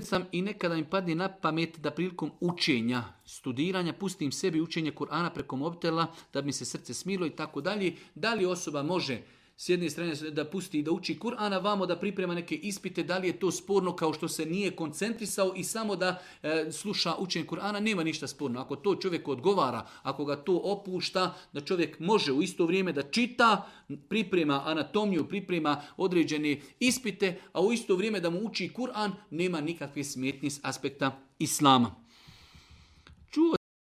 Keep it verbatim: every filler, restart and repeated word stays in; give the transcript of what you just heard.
sam i nekada mi padne na pamet da prilikom učenja, studiranja, pustim sebi učenje Kur'ana preko mobitela da bi mi se srce smilo i tako dalje. Da li osoba može s jedne strane da pusti da uči Kur'ana, vamo da priprema neke ispite, da li je to sporno kao što se nije koncentrisao i samo da e, sluša učenje Kur'ana, nema ništa sporno. Ako to čovjek odgovara, ako ga to opušta, da čovjek može u isto vrijeme da čita, priprema anatomiju, priprema određene ispite, a u isto vrijeme da mu uči Kur'an, nema nikakve smetnje s aspekta Islama.